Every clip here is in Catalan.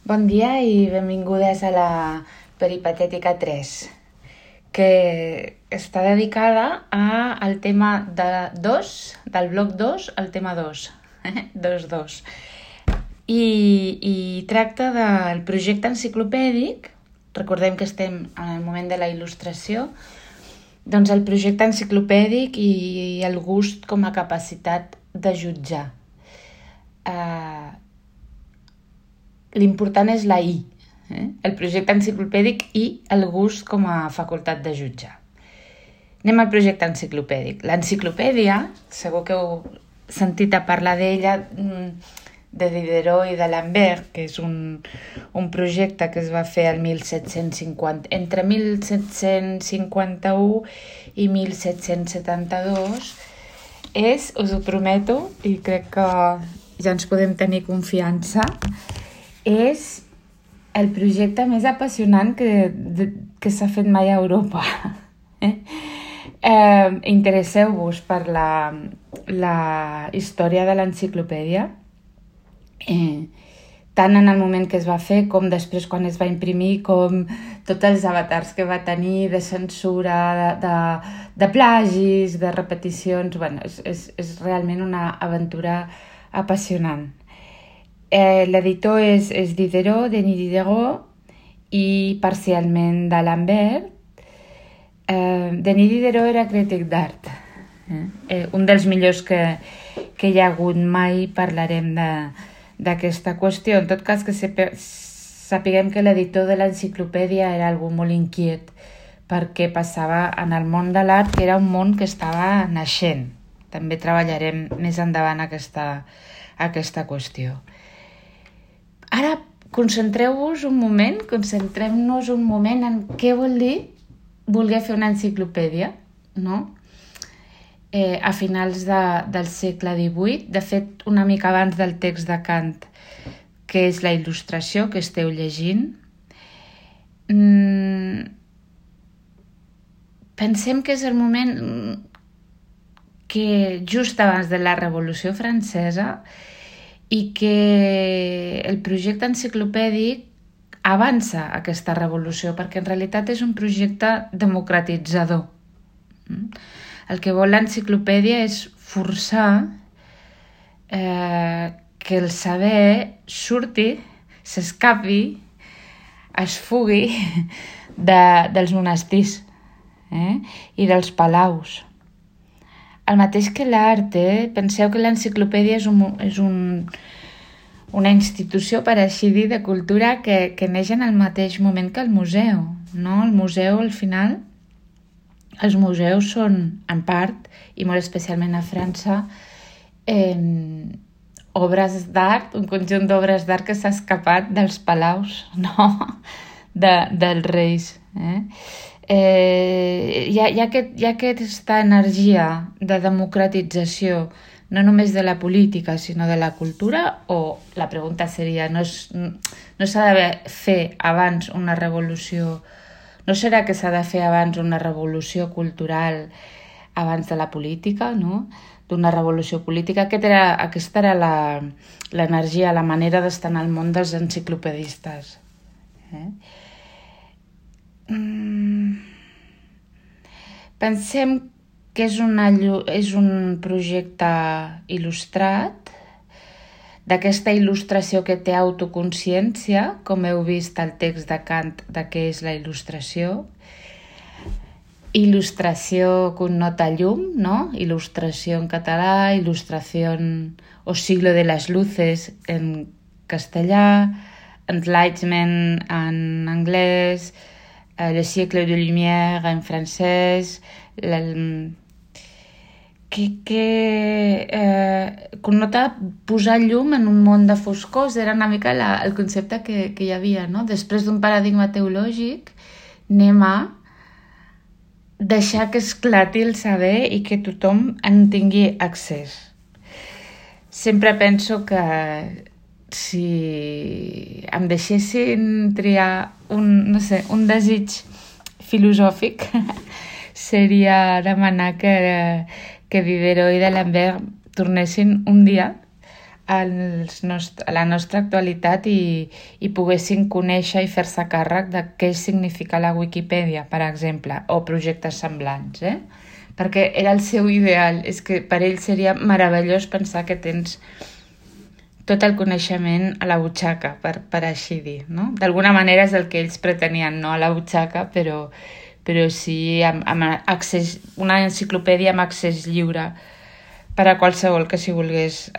Bon dia i benvingudes a la Peripatètica 3, que està dedicada al tema del bloc 2, al tema 2, 2-2. I tracta del projecte enciclopèdic. Recordem que estem en el moment de la il·lustració. Doncs el projecte enciclopèdic i el gust com a capacitat de jutjar. L'important és la I, el projecte enciclopèdic i el gust com a facultat de jutjar. Anem al projecte enciclopèdic. L'enciclopèdia, segur que heu sentit a parlar d'ella, de Diderot i d'Alembert, que és un projecte que es va fer entre 1751 i 1772. Us ho prometo, i crec que ja ens podem tenir confiança, és el projecte més apassionant que s'ha fet mai a Europa. Interesseu-vos per la història de l'enciclopèdia, tant en el moment que es va fer com després quan es va imprimir, com tots els avatars que va tenir de censura, de plagis, de repeticions. Bueno, és realment una aventura apassionant. L'editor és Diderot, Denis Diderot, i parcialment d'Alembert. Denis Diderot era crític d'art, un dels millors que hi ha hagut. Mai parlarem d'aquesta qüestió. En tot cas, que sapiguem que l'editor de l'enciclopèdia era algú molt inquiet perquè passava en el món de l'art, que era un món que estava naixent. També treballarem més endavant aquesta qüestió. Ara concentrem-nos un moment en què vol dir voler fer una enciclopèdia, no? A finals del segle XVIII, de fet una mica abans del text de Kant, que és la il·lustració que esteu llegint. Pensem que és el moment que just abans de la Revolució Francesa, i que el projecte enciclopèdic avança aquesta revolució, perquè en realitat és un projecte democratitzador. El que vol l'enciclopèdia és forçar que el saber surti, s'escapi, es fugui dels monestirs i dels palaus. El mateix que l'art, penseu que l'enciclopèdia és una institució, per així dir, de cultura que neix en el mateix moment que el museu, no? El museu, al final, els museus són, en part, i molt especialment a França, obres d'art, un conjunt d'obres d'art que s'ha escapat dels palaus, no? Dels reis. Hi ha aquesta energia de democratització, no només de la política, sinó de la cultura, o la pregunta seria, no s'ha de fer abans una revolució, no serà que s'ha de fer abans una revolució cultural abans de la política, no? D'una revolució política? Aquesta era l'energia, la manera d'estar en el món dels enciclopedistes. Pensem que és un projecte il·lustrat, d'aquesta il·lustració que té autoconsciència, com heu vist al text de Kant de què és la il·lustració. Il·lustració connota llum, no? Il·lustració en català, il·lustración o siglo de las luces en castellà, enlightenment en anglès, le siècle de lumière en francès, connota posar llum en un món de foscors. Era una mica el concepte que hi havia, no? Després d'un paradigma teològic, anem a deixar que esclati el saber i que tothom en tingui accés. Sempre penso que si em deixessin triar un desig filosòfic, seria demanar que Diderot i d'Alembert tornessin un dia a la nostra actualitat i poguessin conèixer i fer-se càrrec de què significa la Wikipedia, per exemple, o projectes semblants, perquè era el seu ideal. És que per ell seria meravellós pensar que tens tot el coneixement a la butxaca, per així dir, no? D'alguna manera és el que ells pretenien, no a la butxaca, però sí amb accés, una enciclopèdia amb accés lliure per a qualsevol que s'hi volgués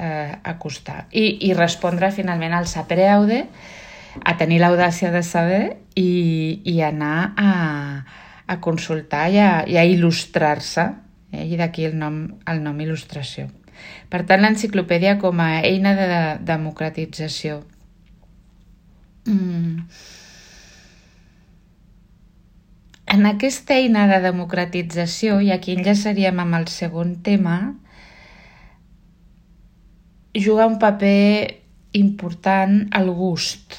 acostar. I respondre finalment al sapere aude, a tenir l'audàcia de saber i anar a consultar i a il·lustrar-se, i d'aquí el nom il·lustració. Per tant, l'enciclopèdia com a eina de democratització. En aquesta eina de democratització, i aquí enllaçaríem amb el segon tema, juga un paper important el gust.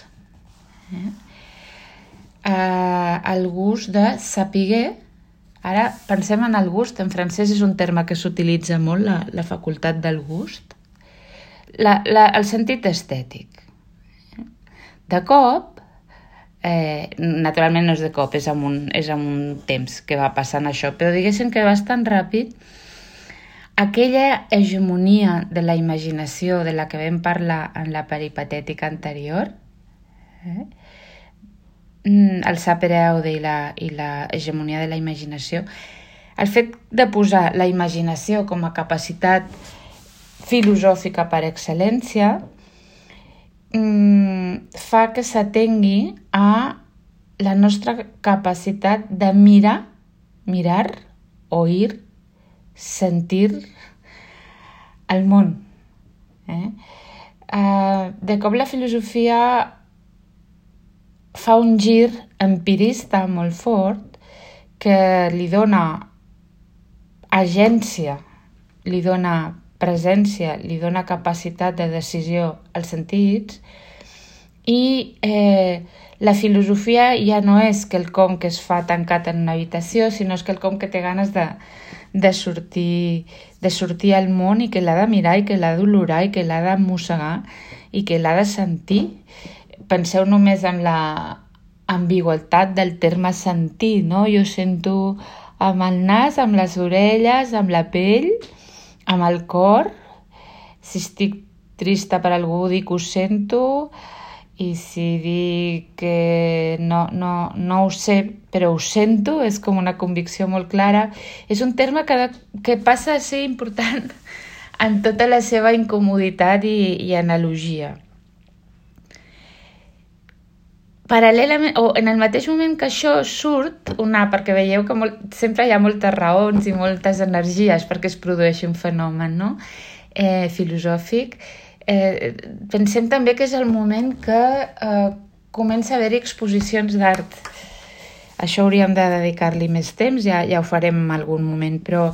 El gust de saber. Ara pensem en el gust, en francès és un terme que s'utilitza molt, la facultat del gust. El sentit estètic. De cop, naturalment no és de cop, és amb un temps que va passant això, però diguéssim que bastant ràpid, aquella hegemonia de la imaginació de la que vam parlar en la peripatètica anterior, el sapere aude i la hegemonia de la imaginació, el fet de posar la imaginació com a capacitat filosòfica per excel·lència fa que s'atengui a la nostra capacitat de mirar, oir, sentir el món. De cop la filosofia fa un gir empirista molt fort que li dona agència, li dona presència, li dona capacitat de decisió als sentits i la filosofia ja no és quelcom que es fa tancat en una habitació, sinó és quelcom que té ganes de sortir al món i que l'ha de mirar i que l'ha d'olorar i que l'ha de mossegar i que l'ha de sentir. Penseu només en la ambigüitat del terme sentir, no? Jo sento amb el nas, amb les orelles, amb la pell, amb el cor. Si estic trista per algú dic ho sento, i si dic que no ho sé però ho sento, és com una convicció molt clara. És un terme que passa a ser important en tota la seva incomoditat i analogia. Paral·lelament, o en el mateix moment que això surt, perquè veieu que sempre hi ha moltes raons i moltes energies perquè es produeixi un fenomen, no? Filosòfic, pensem també que és el moment que comença a haver-hi exposicions d'art. Això hauríem de dedicar-li més temps, ja ho farem en algun moment, però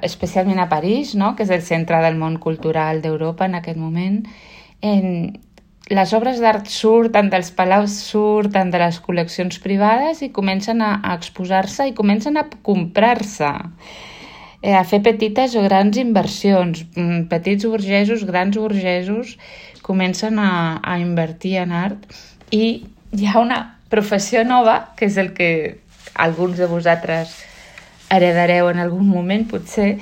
especialment a París, no? Que és el centre del món cultural d'Europa en aquest moment, les obres d'art surten dels palaus, surten de les col·leccions privades i comencen a exposar-se i comencen a comprar-se, a fer petites o grans inversions. Petits burgesos, grans burgesos comencen a invertir en art i hi ha una professió nova, que és el que alguns de vosaltres heredareu en algun moment, potser,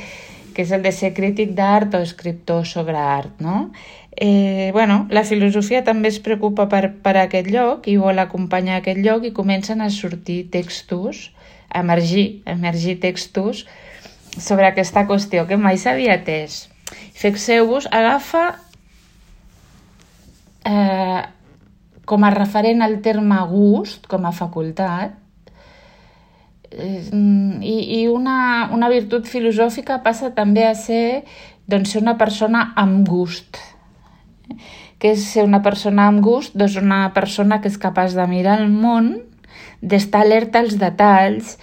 que és el de ser crític d'art o escriptor sobre art, no? La filosofia també es preocupa per aquest lloc i vol acompanyar aquest lloc i comencen a sortir textos, a emergir textos sobre aquesta qüestió que mai s'havia atès. Fixeu-vos, agafa com a referent el terme gust, com a facultat, i una virtut filosòfica passa també a ser una persona amb gust. Què és ser una persona amb gust? Doncs una persona que és capaç de mirar el món, d'estar alerta als detalls,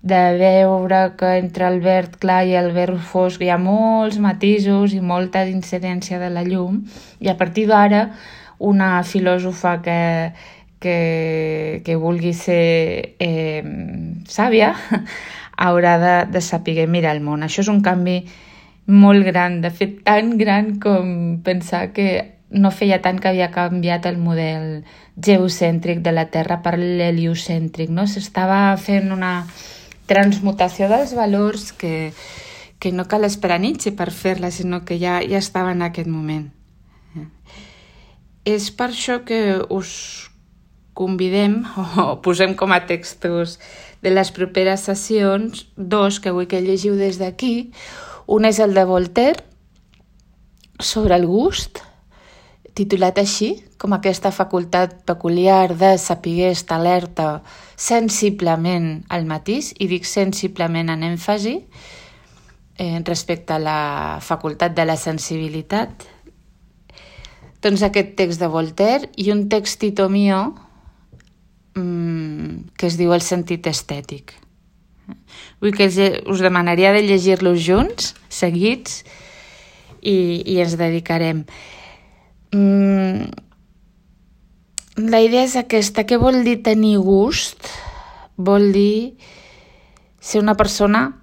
de veure que entre el verd clar i el verd fosc hi ha molts matisos i molta incidència de la llum, i a partir d'ara una filòsofa que vulgui ser sàvia haurà de saber mirar el món. Això és un canvi molt gran, de fet tan gran com pensar que no feia tant que havia canviat el model geocèntric de la Terra per l'heliocèntric, no? S'estava fent una transmutació dels valors que no cal esperar Nietzsche per fer-la, sinó que ja estava en aquest moment. És per això que us convidem, o posem com a textos de les properes sessions, dos que vull que llegiu des d'aquí. Un és el de Voltaire, sobre el gust, titulat així, com aquesta facultat peculiar de saber estar alerta sensiblement al matís, i dic sensiblement en èmfasi, respecte a la facultat de la sensibilitat. Doncs aquest text de Voltaire i un textito mío que es diu El sentit estètic. Vull que us demanaria de llegir-los junts, seguits, i ens dedicarem. La idea és aquesta. Què vol dir tenir gust? Vol dir ser una persona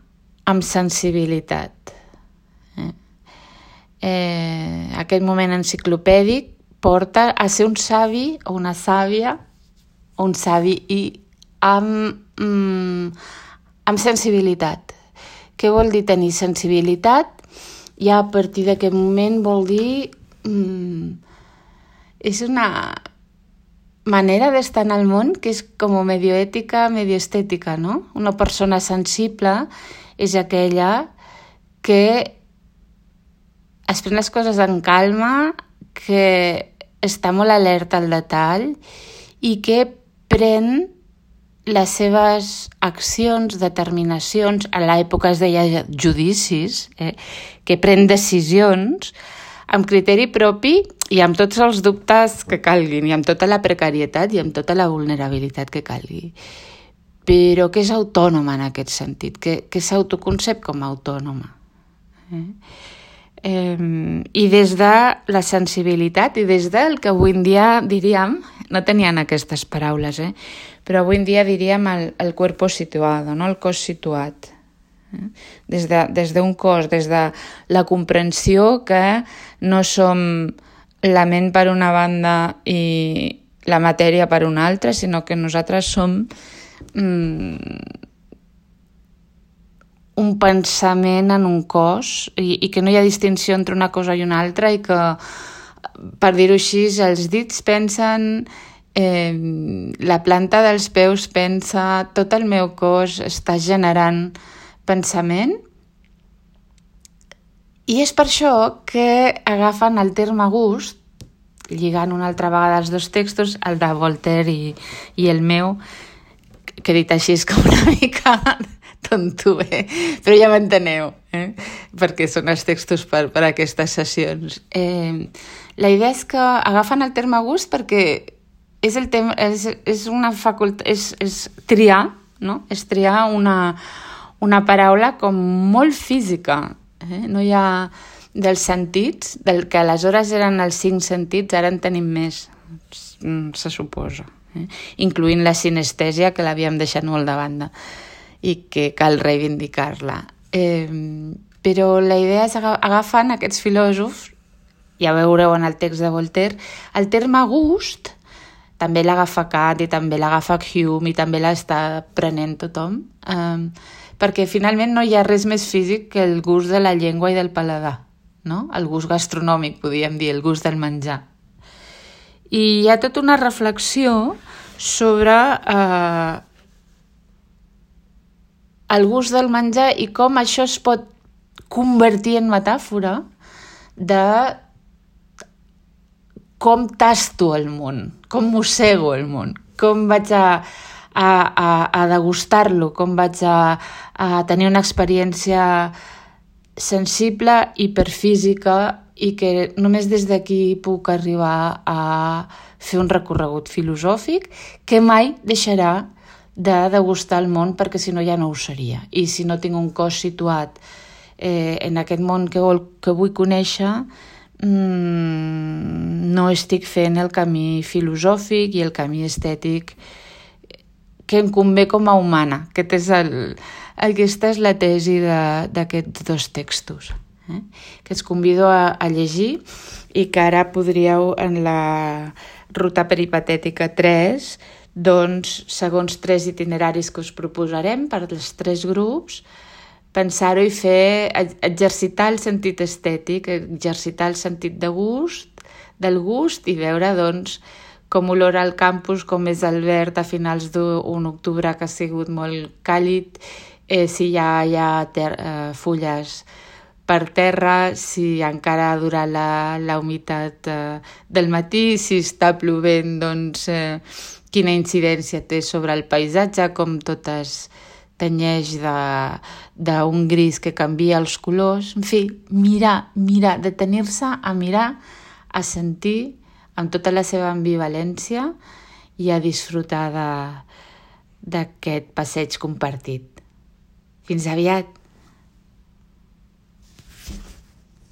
amb sensibilitat. Aquest moment enciclopèdic porta a ser un savi o una sàvia, o un savi i amb sensibilitat. Què vol dir tenir sensibilitat? Ja a partir d'aquest moment vol dir... és una manera d'estar en el món que és com medio ètica, medio estètica, no? Una persona sensible és aquella que es pren les coses en calma, que està molt alerta al detall i que pren les seves accions, determinacions, a l'època es deia judicis, que pren decisions amb criteri propi i amb tots els dubtes que calguin, i amb tota la precarietat i amb tota la vulnerabilitat que calgui. Però que és autònoma en aquest sentit, que s'autoconcep com a autònoma. I des de la sensibilitat i des del que avui en dia diríem, no tenien aquestes paraules, però avui en dia diríem el cuerpo situado, no? El cos situat. Des d'un cos, des de la comprensió que no som la ment per una banda i la matèria per una altra, sinó que nosaltres som un pensament en un cos i que no hi ha distinció entre una cosa i una altra i que, per dir-ho així, els dits pensen, la planta dels peus pensa, tot el meu cos està generant pensament, i és per això que agafen el terme gust, lligant una altra vegada els dos textos, el de Voltaire i el meu, que dit així és com una mica tonto, però ja m'enteneu, perquè són els textos per aquestes sessions. La idea és que agafen el terme gust perquè és una facultat, és triar, no? És triar una paraula com molt física. No hi ha dels sentits, del que aleshores eren els 5 sentits, ara en tenim més, se suposa, incloent la sinestèsia, que l'havíem deixat molt de banda i que cal reivindicar-la. Però la idea és agafant aquests filòsofs, ja veureu en el text de Voltaire, el terme gust també l'agafa Kant i també l'agafa Hume i també l'està prenent tothom, perquè finalment no hi ha res més físic que el gust de la llengua i del paladar, no? El gust gastronòmic, podríem dir, el gust del menjar. I hi ha tota una reflexió sobre el gust del menjar i com això es pot convertir en metàfora de com tasto el món, com mossego el món, com vaig a degustar-lo, com vaig a tenir una experiència sensible, hiperfísica, i que només des d'aquí puc arribar a fer un recorregut filosòfic que mai deixarà de degustar el món, perquè si no ja no ho seria. I si no tinc un cos situat en aquest món que vull conèixer, no estic fent el camí filosòfic i el camí estètic que em convé com a humana. Aquesta és la tesi d'aquests dos textos. que us convido a llegir i que ara podríeu en la ruta peripatètica 3, doncs, segons 3 itineraris que us proposarem per als 3 grups, pensar-ho i exercitar el sentit estètic, exercitar el sentit del gust i veure, doncs, com olora el campus, com és el verd a finals d'un octubre que ha sigut molt càlid, si ja hi ha fulles per terra, si encara ha durat la humitat del matí, si està plovent, doncs quina incidència té sobre el paisatge, com tot es tenyeix d'un gris que canvia els colors. En fi, mirar, detenir-se a mirar, a sentir amb tota la seva ambivalència i a disfrutar d'aquest passeig compartit. Fins aviat!